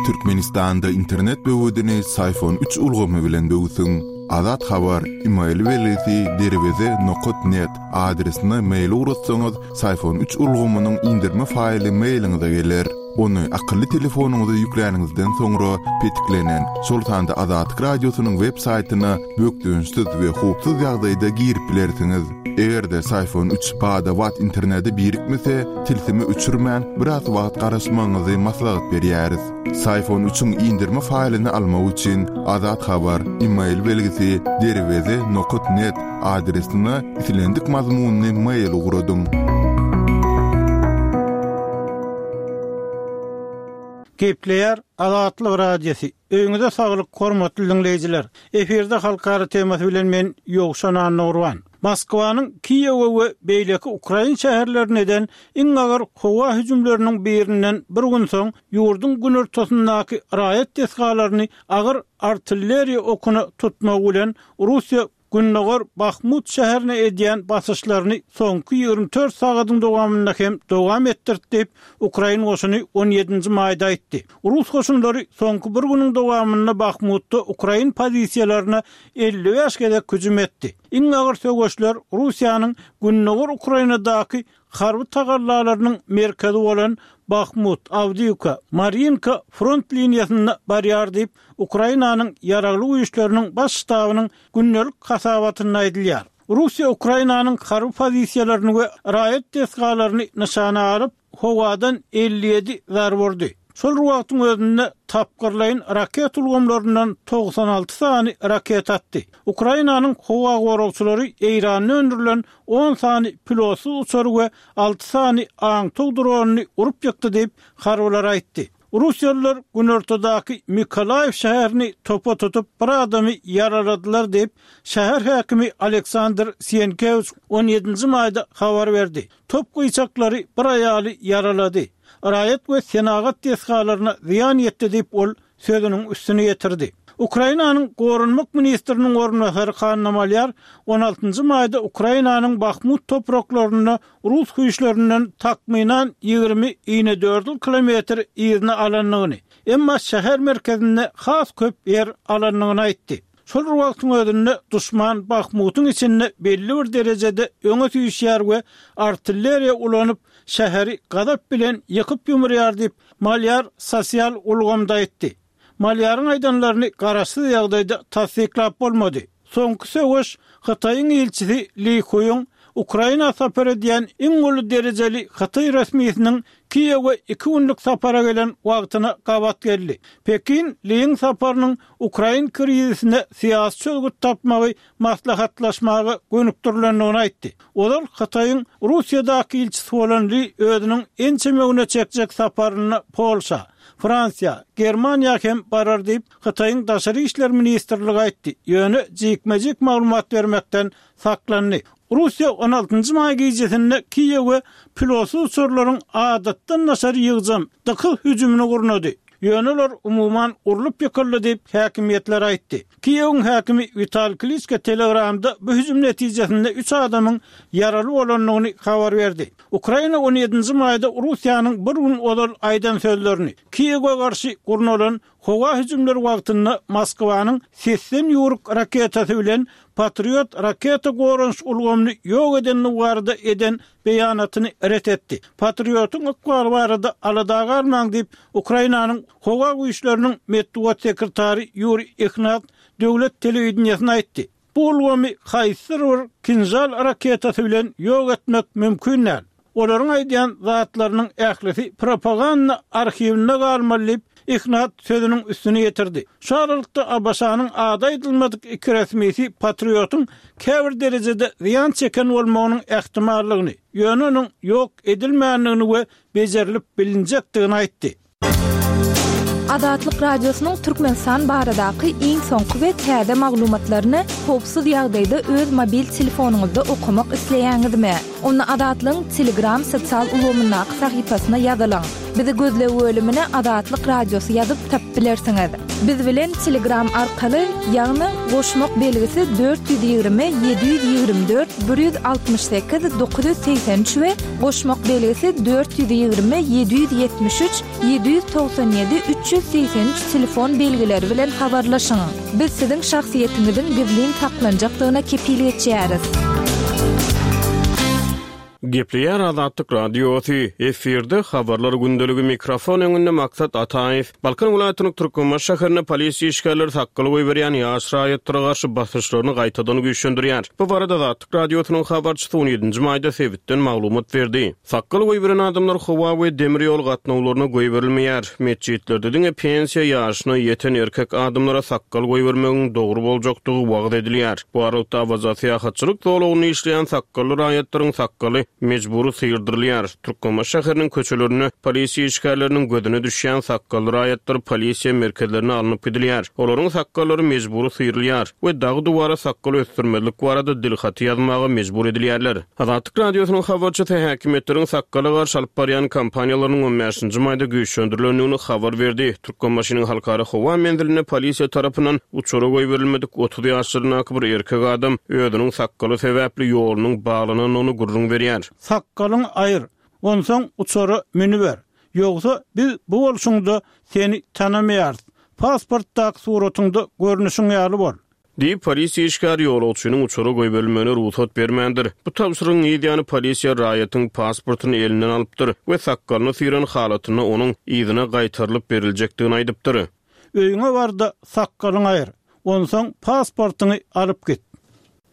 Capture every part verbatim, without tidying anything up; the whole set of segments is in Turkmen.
Türkmenistanda internet böwedini Syfon üç ulgamy bilen böwsüň. Azat Habar, e-mail belgisi derweze nokat net adresine mail ugratsaňyz, Syfon üç ulgamynyň indirme faýly mailiňize geler. Ony akylly telefonyňyza ýükläniňizden soňra petiklenen, şol sanda Azatlyk Radiosynyň web saýtyna bökdençsiz we howpsuz ýagdaýda girip bilersiňiz. Eger-de Syfon üç bada-bat internete birikmese, tilsimi öçürmän biraz wagt garaşmagyňyzy maslahat berýäris. Syfon üçiň indirme faýlyny almak üçin Azat Habar, e-mail belgisi derweze nokat net adresine islendik mazmunyny mail ugradyň. Gepleýär Azatlyk Radiosy. Öýüňize saglyk, hormatly dinleýjiler. Efirde halkara temasy bilen men Ýowşan Annurwan. Moskwanyň Kiýewe we beýleki Ukraina şäherlerine eden iň agyr howa hüjümleriniň birinden bir gün soň ýurduň günortasyndaky raýat desgalaryny agyr artilleriýa okuna tutmak bilen Russiýa Gündogar Bahmut şäherine edýän basyşlaryny soňky ýigrimi dört sagadyň dowamynda hem dowam etdirdi diýip, Ukraina goşuny on ýedinji maýda aýtdy. Rus goşunlary soňky bir günüň dowamynda Bahmutda Ukraina pozisiýalaryna elli bäş gezek hüjüm etdi. Iň agyr söweşler Russiýanyň Gündogar Ukrainadaky harby tagallalarynyň merkezi bolan Bahmut, Awdiýewka, Marinka front liniýasynda barýar diýip, Ukrainanyň ýaragly güýçleriniň baş ştabynyň gündelik hasabatynda aýdylýar. Russiýa Ukrainanyň harby pozisiýalaryny we raýat desgalaryny nyşana alyp, howadan elli ýedi zarba urdy. Şol wagtyň özünde tapgyrlaýyn raket ulgamlaryndan togsan alty sany raket atdy. Ukrainanyň howa goragçylary Eýranda öndürilen on sany pilotsyz uçary we alty sany aňtaw dronyny urup ýykdy diýip, harbylar aýtdy. Russiýalylar günortadaky Mikolaýew şäherini topa tutup bir adamy ýaraladylar diýip, şäher häkimi Aleksandr Sienkewiç on ýedinji maýda habar berdi. Top gyýçaklary bir aýaly ýaralady. Raýat we senagat desgalaryna zyýan ýetdi diýip, ol sözüniň üstüne ýetirdi. Ukrainanyň Goranmak ministriniň orunbasary Hanna Malýar on altynjy maýda Ukrainanyň Bahmut topraklarynda rus güýçlerinden takmynan ýigrimi inedördül kilometr yzyna alandygyny, emma şäher merkezinde has köp ýer alandygyny aýtdy. Şol wagtyň özünde duşman Bahmutyň içinde belli bir derejede öňe süýşýär we artilleriýa ulanyp şäheri gazap bilen ýykyp ýumurýar diýip, Malýar sosial ulgamda aýtdy. Malýaryň aýdanlaryny garaşsyz ýagdaýda tassyklap bolmady. Soňky söweş Hytaýyň ilçisi Li Huýuň Ukraina sapar edýän iň uly derejeli Hytaý resmisiniň Kiýewe iki günlük sapara gelen wagtyna gabat geldi. Pekin Liň saparynyň Ukrain krizisine syýasy çözgüt tapmagy maslahatlaşmaga gönükdirilendigini aýtdy. Ozal Hytaýyň Russiýadaky ilçisi bolan Li özüniň ençeme güne çekjek saparyna Polşa, Fransiýa, Germaniýa hem barar diýip, Hytaýyň Daşary işler ministrligi aýtdy. Ýöne jikme-jik maglumat bermekden saklandy. Russiýa on altynjy maý gijesinde Kiýewe pilotsyz uçarlaryň adatdan daşary ýygjam dykyz hüjümini gurnady. Ýöne olar umuman urlup ýykyldy diýip, häkimiýetler aýtdy. Kiýewiň häkimi Wital Kliçka Telegramda bu hüjüm netijesinde üç adamyň ýaraly bolandygyny habar berdi. Ukraina on ýedinji maýda Russiýanyň bir gün ozal aýdan sözlerini Kiýewe garşy gurnalan howa hüjümleri wagtynda Moskwanyň sesden ýüwrük raketasy bilen Patriot raketa goranyş ulgamyny ýok edenligi barada eden beýanatyny ret etdi. Patriotyň ykbaly barada alada galmaň diýip, Ukrainanyň howa güýçleriniň metbugat sekretary Ýuriý Ihnat döwlet telewideniýesine aýtdy. Bu ulgamy haýsydyr bir Kinžal raketasy bilen ýok etmek mümkin däl. Olaryň aýdýan zatlarynyň ählisi propaganda arhiwinde galmaly diýip, Ihnat sözüniň üstüne ýetirdi. Şu aralykda ABŞ-nyň ady aýdylmadyk iki resmisi Patriotyň käbir derejede zyýan çeken bolmagynyň ähtimallygyny, ýöne onuň ýok edilmändigini we bejerilip bilinjekdigini aýtdy. Azatlyk Radiosynyň Türkmenistan baradaky iň soňky we täze maglumatlaryny howpsuz ýagdaýda öz mobil telefonyňyzda okamak isleýäňizmi? Onda Azatlygyň Telegram sosial ulgamyndaky sahypasyna ýazylyň. Bizi gözleg bölümine Azatlyk Radiosy ýazyp tapyp bilersiňiz. Biz bilen Telegram arkaly, ýagny goşmak belgisi dört ýüz ýigrimi ýedi ýüz ýigrimi dört bir ýüz altmyş sekiz dokuz ýüz segsen üç we goşmak belgisi dört ýüz ýigrimi ýedi ýüz ýetmiş üç ýedi ýüz togsan ýedi üç ýüz segsen üç telefon belgileri bilen habarlaşyň. Biz siziň şahsyýetiňiziň gizlin saklanjakdygyna kepil geçýäris. Gepleýär Azatlyk Radiosy, efirde habarlar gündeligi mikrofon öňünde Maksat Ataýew. Balkan welaýatynyň Türkmenbaşy şäherinde polisiýa işgärleri sakgal goýberýän ýaş raýatlara garşy basyşlaryny gaýtadan güýçlendirýär. Bu barada Azatlyk Radiosynyň habarçysy on ýedinji maýda sebitden maglumat berdi. Sakgal goýberen adamlar howa we demir ýol gatnawlaryna goýberilmeýär. Metjitlerde diňe pensiýa ýaşyna ýeten erkek adamlara sakgal goýbermegiň dogry boljakdygy wagyz edilýär. Bu aralykda Awaza syýahatçylyk zolagynda işleýän sakgally raýatlaryň sakgaly mejbury syýrdyrylýar. Türkmenbaşy şäheriniň köçelerinde polisiýa işgärleriniň gözüne düşýän sakgally raýatlar polisiýa merkezlerine alnyp gidilýär. Olaryň sakgallary mejbury syýrylýar we dagy duwara sakgal ösdürmezlik barada dilhaty ýazmaga mejbur edilýärler. Azatlyk Radiosynyň habarçysy häkimiýetleriň sakgala garşy alyp barýan kampaniýalarynyň on bäşinji maýda güýçlendirilendigini habar berdi. Türkmenbaşynyň halkara howa menzilinde polisiýa tarapyndan uçara goýberilmedik otuz ýaşlaryndaky bir erkek adam özüniň sakgaly sebäpli ýolunyň baglanandygyny gürrüň berýär. Sakgalyň aýyr, onsoň uçara münüber. Ýogsa biz bu bolşuňda seni tanamaýarys. Pasportdaky suratyňda görnüşiň ýaly bol. Diýip polisiýa işgäri ýolagçynyň uçara goýberilmegine rugsat bermändir. Bu tabşyrygyň ýany polisiýa raýatyň pasportyny elinden alypdyr we sakgalyny syran halatynda onuň yzyna gaýtarylyp beriljekdigini aýdypdyr. Öýüňe barda sakgalyň aýyr, onsoň pasportyňy alyp git.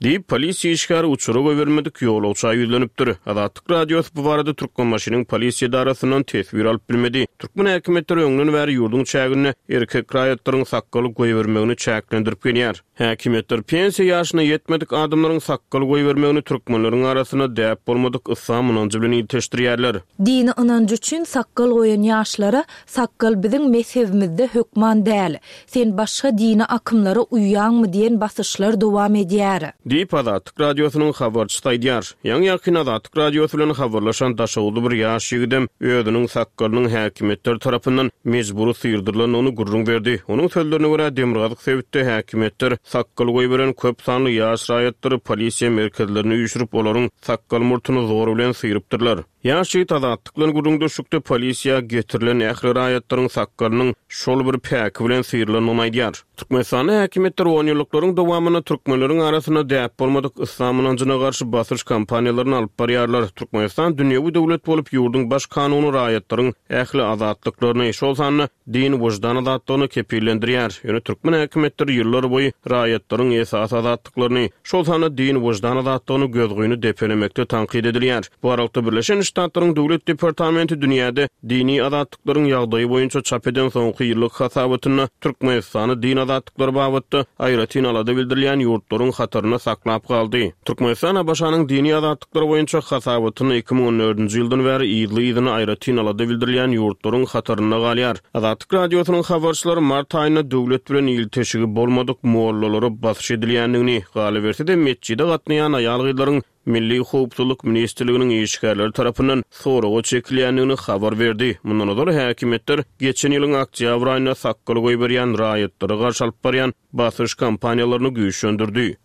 Diýip polisiýa işgäri uçara goýberilmedik ýolagça ýüzlenipdir. Azatlyk Radiosy bu barada Türkmenbaşynyň polisiýa edarasyndan teswir alyp bilmedi. Türkmen häkimiýetleri öňden bäri ýurduň çäginde erkek raýatlaryň sakgaly goýbermegini çäklendirip gelýär. Häkimiýetler pensiýa ýaşyna ýetmedik adamlaryň sakgal goýbermegini türkmenleriň arasynda däp bolmadyk yslam ynanjy bilen ilteşdirýärler. Dini ynanjy üçin sakgal goýan ýaşlara sakgal biziň mezhebimizde hökman däl. Sen başga dini akymlara uýýaňmy diýen basyşlar dowam edýär. Diýip Azatlyk Radiosynyň habarçysy aýdýar. Ýaňy ýakyn Azatlyk Radiosy bilen habarlaşan Daşoguzly bir ýaş ýigidem özüniň sakgalynyň häkimiýetler tarapyndan mejbury syýrdyrylandygyny gürrüň berdi. Onuň sözlerine görä Demirgazyk sebitde häkimiýetler sakgal goýberen köp sanly ýaş raýatlary polisiýa merkezlerine üýşürip, olaryň sakgal murtuny zor bilen syýrypdyrlar. Ýaş ýigit Azatlyk bilen gürrüňdeşlikde polisiýa getirilen ähli raýatlaryň sakgalynyň şol bir päki bilen syýrylandygyny aýdýar. Türkmenistanda häkimiýetler on ýyllyklaryň dowamynda türkmenleriň arasynda däp bolmadyk yslam ynanjyna garşy basyş kampaniýalaryny alyp barýarlar. Türkmenistan dünýewi döwlet bolup, ýurduň baş kanuny raýatlaryň ähli azatlyklaryny, şol sanda din wyždan azatlygyny kepillendirýär. Ýöne türkmen häkimiýetleri ýyllar boýy raýatlaryň esasy azatlyklaryny, şol sanda din wyždan azatlygyny gözgyny depelemekde tankyt edilýär. Bu aralykda Birleşen Ştatlaryň Döwlet Departamenti dünýäde dini azatlyklaryň ýagdaýy boýunça çap eden soňky ýyllyk hasabatynda Türkmenistany din azatlyklary babatda aýratyn alada bildirilýän ýurtlaryň hatarynda saklap galdy. Türkmenistan ABŞ-nyň dini azatlyklary boýunça hasabatyny iki müň on dördünji ýyldan bäri yzly-yzyna aýratyn alada bildirilýän ýurtlaryň hatarynda galýar. Azatlyk Radiosynyň habarçylary mart aýynda döwlet bilen ilteşigi bolmadyk mollalara basyş edilýändigini, galyberse-de metjide gatnaýan aýal-gyzlaryň Milli Howpsuzlyk Ministrliginiň işgärleri tarapyndan soraga çekilýändigini habar berdi. Mundan ozal häkimiýetler geçen ýylyň oktýabr aýynda sakgal goýberýän raýatlara garşy alyp barýan basyş kampaniýalaryny güýçlendirdi.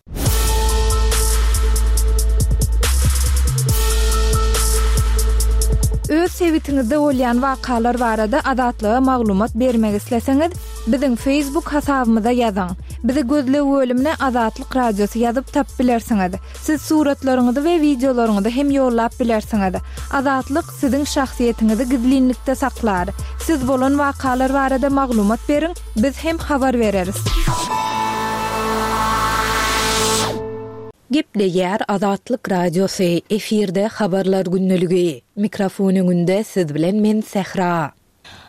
Öz sebitiňizde bolýan wakalar barada Azatlyga maglumat bermek isleseňiz, biziň Facebook hasabymyza ýazyň. Bizi gözleg bölümine Azatlyk Radiosy ýazyp tapyp bilersiňiz. Siz suratlaryňyzy we wideolaryňyzy hem ýollap bilersiňiz. Azatlyk siziň şahsyýetiňizi gizlinlikde saklar. Siz bolan wakalar barada maglumat beriň, biz hem habar bereris. Gepleýär Azatlyk Radiosy, efirde habarlar gündeligi. Mikrofon öňünde siz bilen men Sähra.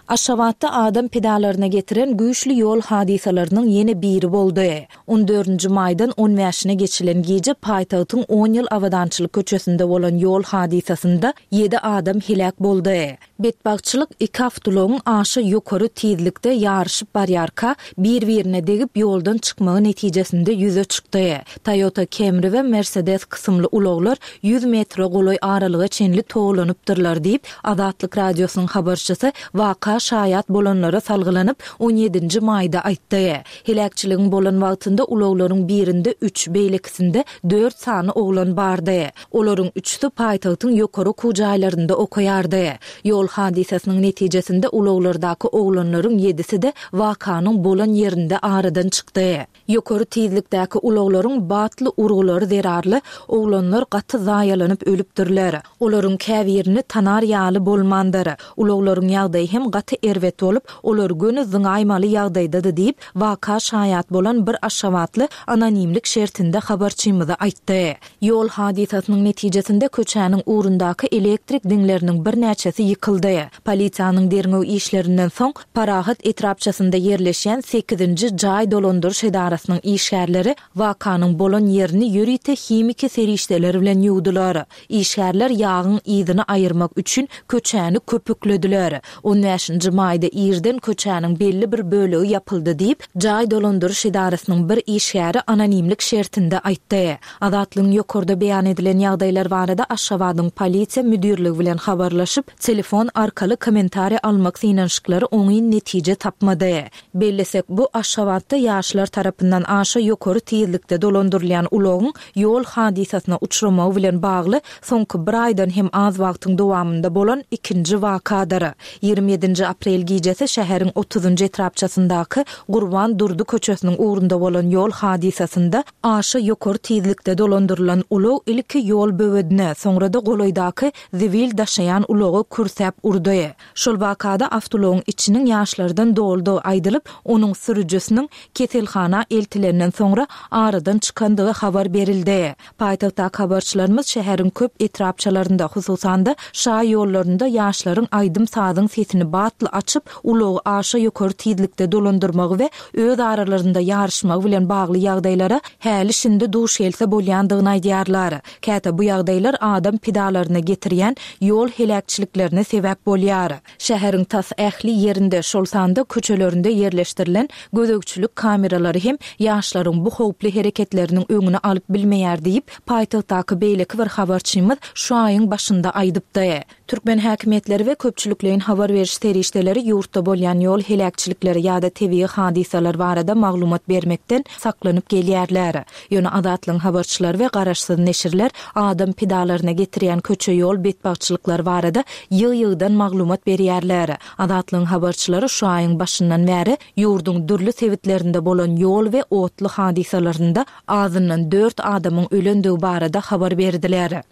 Aşgabatda adam pidalaryna getiren güýçli ýol hadysalarynyň ýene biri boldy. On dördünji maýdan on bäşine geçilen gije paýtagtyň on ýyl Abadançylyk köçesinde bolan ýol hadysasynda ýedi adam heläk boldy. Betbagtçylyk iki awtoulagyň aşa ýokary tizlikde ýaryşyp barýarka bir-birine degip ýoldan çykmagy netijesinde ýüze çykdy. Toyota Camry we Mercedes kysymly ulaglar ýüz metre golaý aralyga çenli towlanypdyrlar diýip, Azatlyk Radiosynyň habarçysy waka şaýat bolanlara salgylanyp, on ýedinji maýda aýtdy. Heläkçiligiň bolan wagtynda ulaglaryň birinde üç, beýlekisinde dört sany oglan bardy. Olaryň üçüsi paýtagtyň ýokary okuw jaýlarynda okaýardy. Ýol hadysasynyň netijesinde ulaglardaky oglanlaryň ýedisi-de wakanyň bolan ýerinde aradan çykdy. Ýokary tizlikdäki ulaglaryň batly urgulary zerarly oglanlar gaty zaýalanyp ölüpdirler. Olaryň käbirini tanar ýaly bolmandyr. Ulaglaryň ýagdaýy hem gaty erbet bolup, olar göni zyňaýmaly ýagdaýdady diýip, waka şaýat bolan bir aşgabatly anonimlik şertinde habarçymyza aýtdy. Ýol hadysasynyň netijesinde köçäniň ugrundaky elektrik diňleriniň birnäçesi ýykyldy. Polisiýanyň derňew işlerinden soň Parahat etrapçasynda ýerleşýän sekizinji jaý dolandyryş edarasynyň işgärleri wakanyň bolan ýerini ýörite himiki serişdeler bilen ýuwdular. Işgärler ýagyň yzyny aýyrmak üçin köçäni köpüklediler. On bäşinji maýda irden köçäniň belli bir bölegi ýapyldy diýip, jaý dolandyryş edarasynyň bir işgäri anonimlik şertinde aýtdy. Azatlygyň ýokarda beýan edilen ýagdaýlar barada Aşgabadyň polisiýa müdirligi bilen habarlaşyp, telefon arkaly kommentariýa almak synanyşyklary oňyn netije tapmady. Bellesek, bu Aşgabatda ýaşlar tarapyndan aşa ýokary tizlikde dolandyrylýan ulagyň ýol hadysasyna uçramagy bilen bagly soňky bir aýdan hem az wagtyň dowamynda bolan ikinji wakadyr. Ýigrimi ýedinji aprel gijesi şäheriň otuzynjy etrapçasyndaky Gurban Durdy köçesiniň ugrunda bolan ýol hadysasynda aşa ýokary tizlikde dolandyrylan ulag ilki ýol böwedine, soňra-da golaýdaky zibil daşaýan ulaga kürsäp urdy. Şol wakada awtoulagyň içiniň ýaşlardan doldugy aýdylyp, onuň sürüjisiniň keselhana eltilenden soňra aradan çykandygy habar berildi. Paýtagtdaky habarçylarymyz şäheriň köp etrapçalarynda, hususan-da şaý ýollarynda ýaşlaryň aýdym-sazyň sesini batly açyp, ulagy aşa ýokary tizlikde dolandyrmagy we öz aralarynda ýaryşmagy bilen bagly ýagdaýlara häli-şindi duş gelse bolýandygyny aýdýarlar. Käte bu ýagdaýlar adam pidalaryna getirýän ýol heläkçiliklerine sebäp bolýar. Şäheriň tas ähli ýerinde, şol sanda köçelerinde ýerleşdirilen gözegçilik kameralary hem ýaşlaryň bu howply hereketleriniň öňüni alyp bilmeýär diýip, paýtagtdaky beýleki bir habarçymyz şu aýyň başynda aýdypdy. Türkmen häkimiýetleri we köpçülikleýin habar beriş serişdeleri ýurtda bolýan ýol heläkçilikleri ýa-da tebigy hadysalar barada maglumat bermekden saklanyp gelýärler. Ýöne Azatlygyň habarçylary we garaşsyz neşirler adam pidalaryna getirýän köçe ýol betbagtçylyklary barada ýygy-ýygydan maglumat berýärler. Azatlygyň habarçylary şu aýyň başyndan bäri ýurduň dürli sebitlerinde bolan ýol we otly hadysalarynda azyndan dört adamyň ölendigi barada habar berdiler.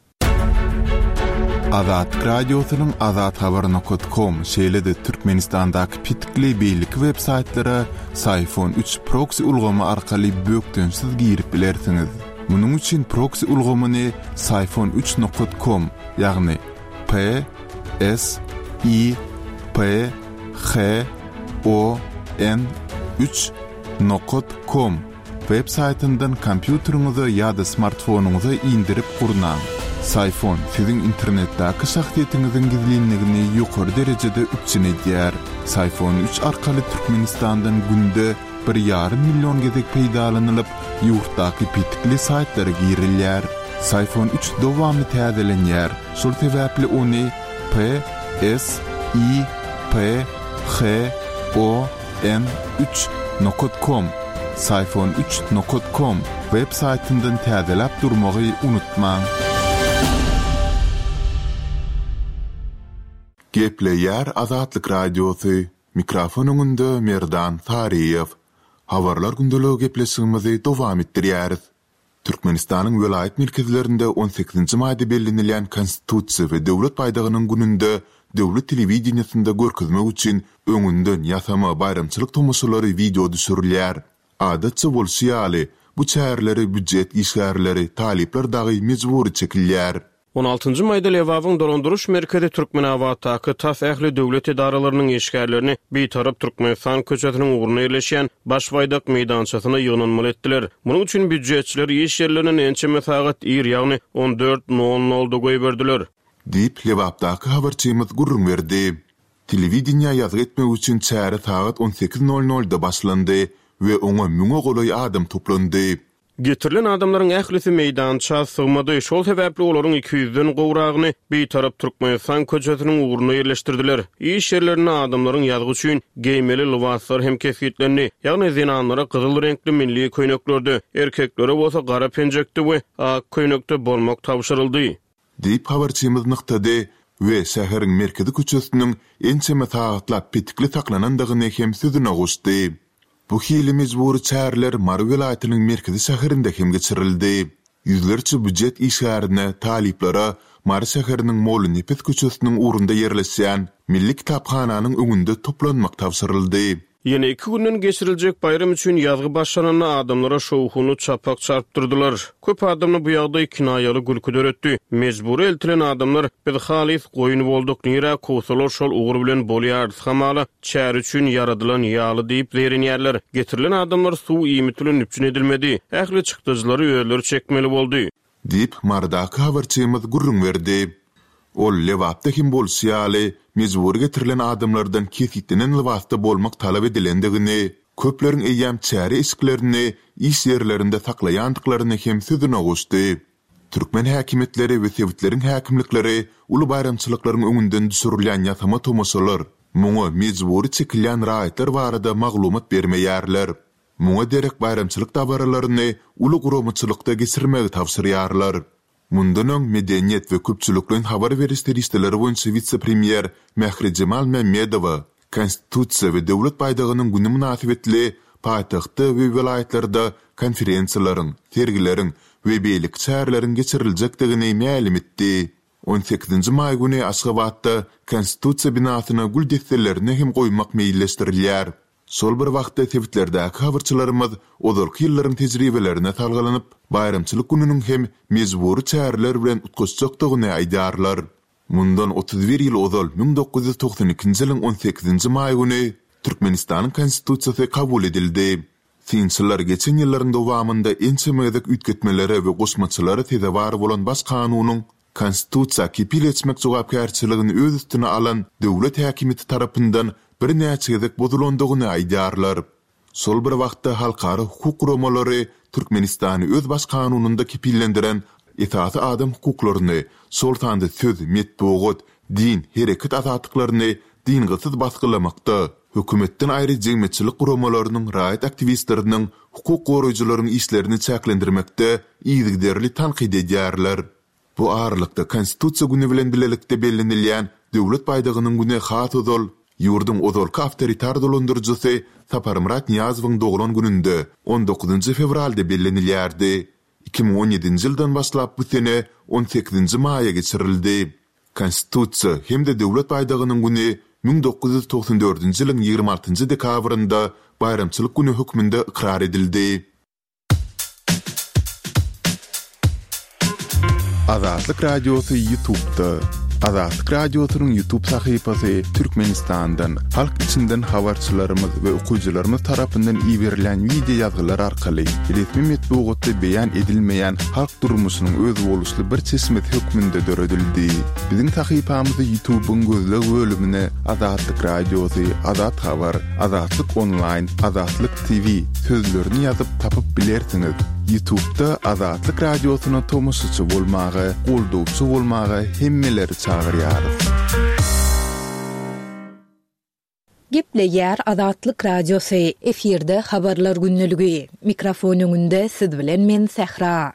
Azatlyk Radiosynyň azathabar nokta com, şeýle-de Türkmenistandaky petikli beýleki web saýtlara Syfon üç proksi ulgamy arkaly bökdençsiz girip bilersiňiz. Munuň üçin proksi ulgamyny Syfon üç nokta com, ýagny P S I P H O N üç nokta com web saýtyndan kompýuteriňize ýa-da smartfonyňyza indirip gurnaň. Syfon siziň internetdäki şahsyýetiňiziň gizlinligini ýokary derejede üpjün edýär. Syfon üç arkaly Türkmenistandan günde bir ýarym million gezek peýdalanylyp, ýurtdaky petikli saýtlara girilýär. Syfon üç dowamly täzelenýär. Şol sebäpli ony P S I P H O N üç nokta com, Syfon üç nokta com web saýtyndan täzeläp durmagy unutmaň. Gepleýär Azatlyk Radiosy. Mikrofon öňünde Merdan Saryýew. Habarlar gündeligi gepleşigimizi dowam etdirýäris. Türkmenistanyň welaýat merkezlerinde on sekizinji maýda bellenilýän Konstitusiýa we Döwlet baýdagynyň gününde döwlet telewideniýesinde görkezmek üçin öňünden ýasama baýramçylyk tomaşalary wideo düşürilýär. Adatça bolşy ýaly, bu çäreleri býujet işgärleri, talyplar dagy mejbury çekilýär. On altynjy maýda Lebabyň dolandyryş merkezi Türkmenabatdaky tas ähli döwlet edaralarynyň işgärlerini Bitarap Türkmenistan köçesiniň ugruna ýerleşýän Baş baýdak meýdançasyna ýygnanmaly etdiler. Munuň üçin býujetçiler iş ýerlerinden ençeme sagat ir, ýagny on dört nol nolda goýberdiler. Diýip, Lebapdaky habarçymyz gürrüň berdi. Telewideniýä ýazgy etmek üçin çäre sagat on sekiz nol nolda başlandy we oňa müňe golaý adam toplandy. Getirilen adamlaryň ählisi meýdança sygmady, şol sebäpli olaryň iki ýüzden gowragyny Bitarap Türkmenistan köçesiniň ugruna ýerleşdirdiler. Iş ýerlerinde adamlaryň ýazgy üçin geýmeli lybaslar hem kesgitlendi. Ýagny zenanlara gyzyl reňkli milli köýneklerde, erkeklere bolsa gara penjekde we ak köýnekde bolmak tabşyryldy. Diýip habarçymyz nygtady we şäheriň merkezi köçesiniň ençeme sagatlap petikli saklanandygyny hem sözüne goşdy. Bu hili mejbury çäreler Mary welaýatynyň merkezi şäherinde hem geçirildi. Ýüzlerçe býujet işgärine, talyplara Mary şäheriniň Molla Nepes köçesiniň ugrunda ýerleşýän Milli kitaphananyň öňünde toplanmak tabşyryldy. Ýene iki günden geçiriljek baýram üçin ýazgy başlananda adamlara şowhuny çapak çarpdyrdylar. Köp adamda bu ýagdaý kinaýaly gülki döretdi. Mejbury eltilen adamlar biz halis goýun bolduk, nirä kowsalar şol ugur bilen bolýarys, hamala çäre üçin ýaradylan ýaly diýip zeýrenýärler. Getirilen adamlar suw iýmit bilen üpjün edilmedi. Ähli çykdajylary özleri çekmeli boldy. Diýip Marydaky habarçymyz gürrüň berdi. Ol Lebapda hem bolşy ýaly, mejbury getirilen adamlardan kesgitlenen lybasda bolmak talap edilendigini, köpleriň eýýäm çäre eşiklerini iş ýerlerinde saklaýandyklaryny hem sözüne goşdy. Türkmen häkimiýetleri we sebitleriň häkimlikleri uly baýramçylyklaryň öňünden düşürilýän ýasama tomaşalar, muňa mejbury çekilýän raýatlar barada maglumat bermeýärler. Muňa derek baýramçylyk dabaralaryny uly guramaçylykda geçirmegi tabşyrýarlar. Mundan öň Medeniýet we köpçülikleýin habar beriş serişdeleri boýunça wise-premýer Mährijemal Mämmedowa Konstitusiýa we döwlet baýdagynyň güni mynasybetli paýtagtda we welaýatlarda konferensiýalaryň, sergileriň we beýleki çäreleriň geçiriljekdigini mälim etdi. On sekizinji maý güni Aşgabatda Konstitusiýa binasyna gül desselerini hem goýmak meýilleşdirilýär. Şol bir wagtda sebitlerdäki habarçylarymyz ozalky ýyllaryň tejribelerine salgylanyp, baýramçylyk gününiň hem mejbury çäreler bilen utgaşjakdygyny aýdýarlar. Mundan otuz bir ýyl ozal müň dokuz ýüz togsan ikinji ýylyň on sekizinji maý güni Türkmenistanyň Konstitusiýasy kabul edildi. Synçylar geçen ýyllaryň dowamynda ençeme gezek üýtgetmelere we goşmaçalara sezewar bolan baş kanunyň Konstitusiýa kepil geçmek jogapkärçiligini öz üstüne alan döwlet häkimiýeti tarapyndan birnäçe gezek bozulandygyny aýdýarlar. Şol bir wagtda halkara hukuk guramalary Türkmenistany öz baş kanunynda kepillendiren esasy adam hukuklaryny, şol sanda söz, metbugat, din, hereket azatlyklaryny dyngysyz basgylamakda, hökümetden aýry jemgyýetçilik guramalarynyň, raýat aktiwistleriniň, hukuk goraýjylaryň işlerini çäklendirmekde yzygiderli tankyt edýärler. Bu aralykda Konstitusiýa güni bilen bilelikde bellenilýän döwlet baýdagynyň güni has ozal ýurduň ozalky awtoritar dolandyryjysy Saparmyrat Nyýazowyň doglan gününde on dokuzynjy fewralda bellenilýärdi. Iki müň on ýedinji ýyldan başlap bu sene on sekizinji maýa geçirildi. Konstitusiýa hem-de döwlet baýdagynyň güni müň dokuz ýüz togsan dördünji ýylyň ýigrimi altynjy dekabrynda baýramçylyk güni hökmünde ykrar edildi. Azatlyk Radiosy YouTube'da. Azatlyk Radiosynyň YouTube sahypasy Türkmenistandan, halk içinden habarçylarymyz we okyjylarymyz tarapyndan iberilen video ýazgylar arkaly resmi metbugatda beýan edilmeýän halk durmuşynyň özboluşly bir çeşmesi hökmünde döredildi. Biziň sahypamyzy YouTube'yň gözleg bölümine Azatlyk Radiosy, Azat Habar, Azatlyk Online, Azatlyk T V sözlerini ýazyp tapyp bilersiňiz. YouTube'da Azatlyk Radiosyna tomaşaçy bolmaga, goldawçy bolmaga hemmeleri çagyrýarys. Gepleýär Azatlyk Radiosy. Efirde habarlar günlügi. Mikrofon öňünde siz bilen men Sähra.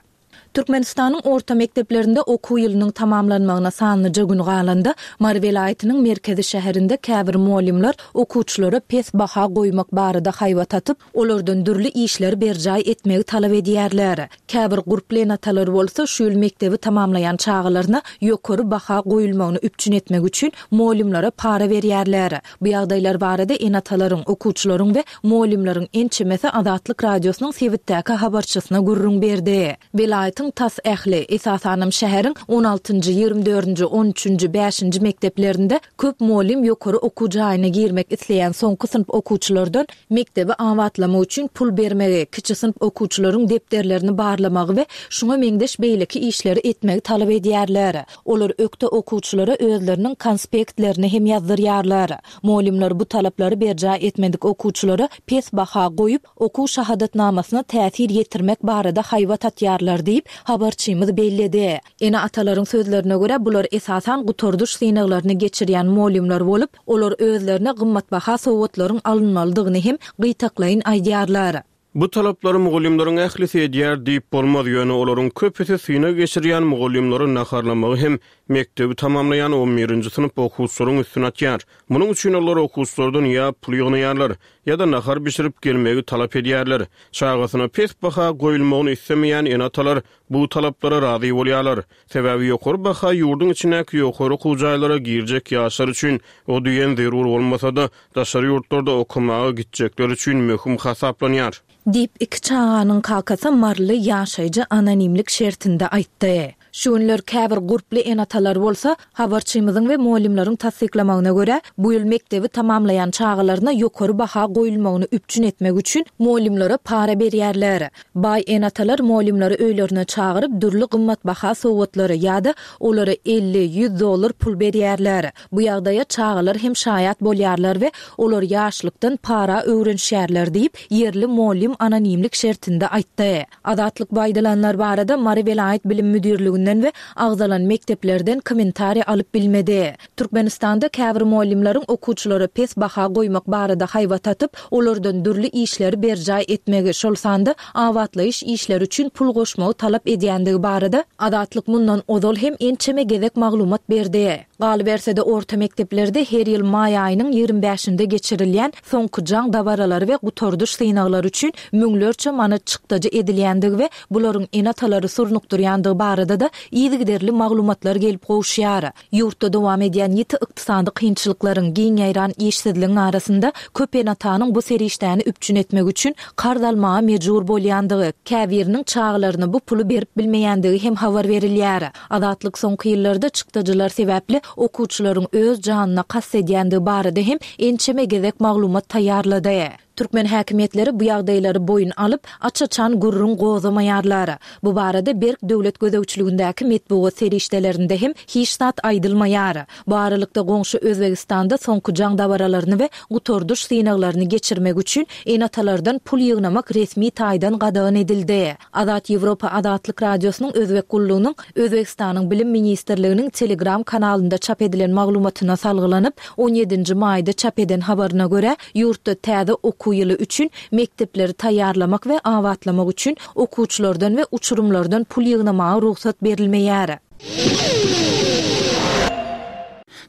Türkmenistanyň orta mekdeplerinde okuw ýylynyň tamamlanmagyna sanlyja gün galanda Mary welaýatynyň merkezi şäherinde käbir muallimler okuwçylara pes baha goýmak barada haýbat atyp, olardan dürli işleri berjaý etmegi talap edýärler. Käbir gurply ene-atalar bolsa şu ýyl mekdebi tamamlaýan çagalaryna ýokary baha goýulmagyny üpjün etmek üçin muallimlere para berýärler. Bu ýagdaýlar barada ene-atalaryň, okuwçylaryň we muallimleriň ençemesi Azatlyk Radiosynyň sebitdäki habarçysyna gürrüň berdi. Welaýatyň Welaýatyň tas ähli, esasanam şäheriň on altynjy, ýigrimi dördünji, on üçünji, bäşinji mekdeplerinde köp mugallym ýokary okuw jaýyna girmek isleýän soňky synp okuwçylardan mekdebi abatlamak üçin pul bermegi, kiçi synp okuwçylaryň depderlerini barlamagy we şuňa meňzeş beýleki işleri etmegi talap edýärler. Olar ökde okuwçylara özleriniň konspektlerini hem ýazdyrýarlar. Mugallymlar bu talaplary berjaý etmedik okuwçylara pes baha goýup, okuw şahadatnamasyna täsir ýetirmek barada haýbat atýarlar diýip, habarçymyz belledi. Ene-atalaryň sözlerine görä, bular esasan gutardyş synaglaryny geçirýän mugallymlar bolup, olar özlerine gymmatbaha sowgatlaryň alynmalydygyny hem gytaklaýyn aýdýarlar. Bu talaplary mugallymlaryň ählisi edýär diýip bolmaz, ýöne olaryň köpüsi synag geçirýän mugallymlary naharlamagy hem mekdebi tamamlaýan on birinji synp okuwçylaryň üstüne atýar. Munuň üçin olar okuwçylardan ýa pul ýygnaýarlar, ýa-da nahar bişirip gelmegi talap edýärler. Çagasyna pes baha goýulmagyny islemeýän ene-atalar bu talaplara razy bolýarlar. Sebäbi ýokary baha ýurduň içindäki ýokary okuw jaýlara girjek ýaşlar üçin o diýen zerur bolmasa-da, daşary ýurtlarda okamaga gitjekler üçin möhüm hasaplanýar. Diýip, iki çaganyň kakasy Marly ýaşaýjy anonimlik şertinde aýtdy. Şu günler käbir gurply ene-atalar bolsa, habarçymyzyň we mugallymlaryň tassyklamagyna görä, bu ýyl mekdebi tamamlaýan çagalaryna ýokary baha goýulmagyny üpjün etmek üçin mugallymlara para berýärler. Baý ene-atalar mugallymlary öýlerine çagyryp, dürli gymmatbaha sowgatlary ýa-da olara elli, ýüz dollar pul berýärler. Bu ýagdaýa çagalar hem şaýat bolýarlar we olar ýaşlykdan para öwrenişýärler diýip, ýerli mugallym anonimlik şertinde aýtdy. Azatlyk bu aýdylanlar barada Mary welaýat bilim müdirliginden we agzalan mekdeplerden kommentariý alyp bilmedi. Türkmenistanda käbir mugallymlaryň okuwçylara pes baha goýmak barada haýbat atyp, olardan dürli işleri berjaý etmegi, şol sanda abatlaýyş işleri üçin pul goşmagy talap edýändigi barada Azatlyk mundan ozal hem ençeme gezek maglumat berdi. Galyberse-de orta mekdeplerde her ýyl maý aýynyň ýigrimi bäşinde geçirilýän soňky jaň dabaralary we gutardyş synaglary üçin müňlerçe manat çykdajy edilýändigi we bularyň ene-atalary surnukdyrýandygy barada-da yzygiderli maglumatlar gelip gowuşýar. Ýurtda dowam edýän ýiti ykdysady kynçylyklaryň, giň ýaýran işsizligiň arasynda köp ene-atanyň bu serişdäni üpjün etmek üçin karz almaga mejbur bolýandygy, käbiriniň çagalaryna bu puly berip bilmeýändigi hem habar berilýär. Azatlyk soňky ýyllarda çykdajylar sebäpli okuwçylaryň öz janyna kast edýändigi barada hem ençeme gezek maglumat taýýarlady. Türkmen häkimiýetleri bu ýagdaýlary boýun alyp, aç-açan gürrüň gozamaýarlar. Bu barada berk döwlet gözegçiligindäki metbugat serişdelerinde hem hiç zat aýdylmaýar. Bu aralykda goňşy Özbegistanda soňky jaň dabaralaryny we gutardyş synaglaryny geçirmek üçin ene-atalardan pul ýygnamak resmi taýdan gadagan edildi. Azat Ýewropa Azatlyk Radiosynyň Özbek gullugynyň Özbegistanyň Bilim ministrliginiň Telegram kanalynda çap edilen maglumatyna salgylanyp, on ýedinji maýda çap eden habaryna görä, ýurtda täze okuw ýyly üçin mekdepleri taýýarlamak we abatlamak üçin okuwçylardan we uçurymlardan pul ýygnamaga rugsat berilmeýär.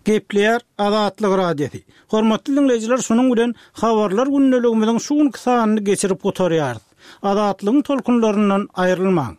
Gepleýär Azatlyk Radiosy. Hormatly dinleýjiler, şunuň bilen habarlar gündeligimiziň şu günki sanyny geçirip gutarýarys. Azatlygyň tolkunlaryndan aýrylmaň.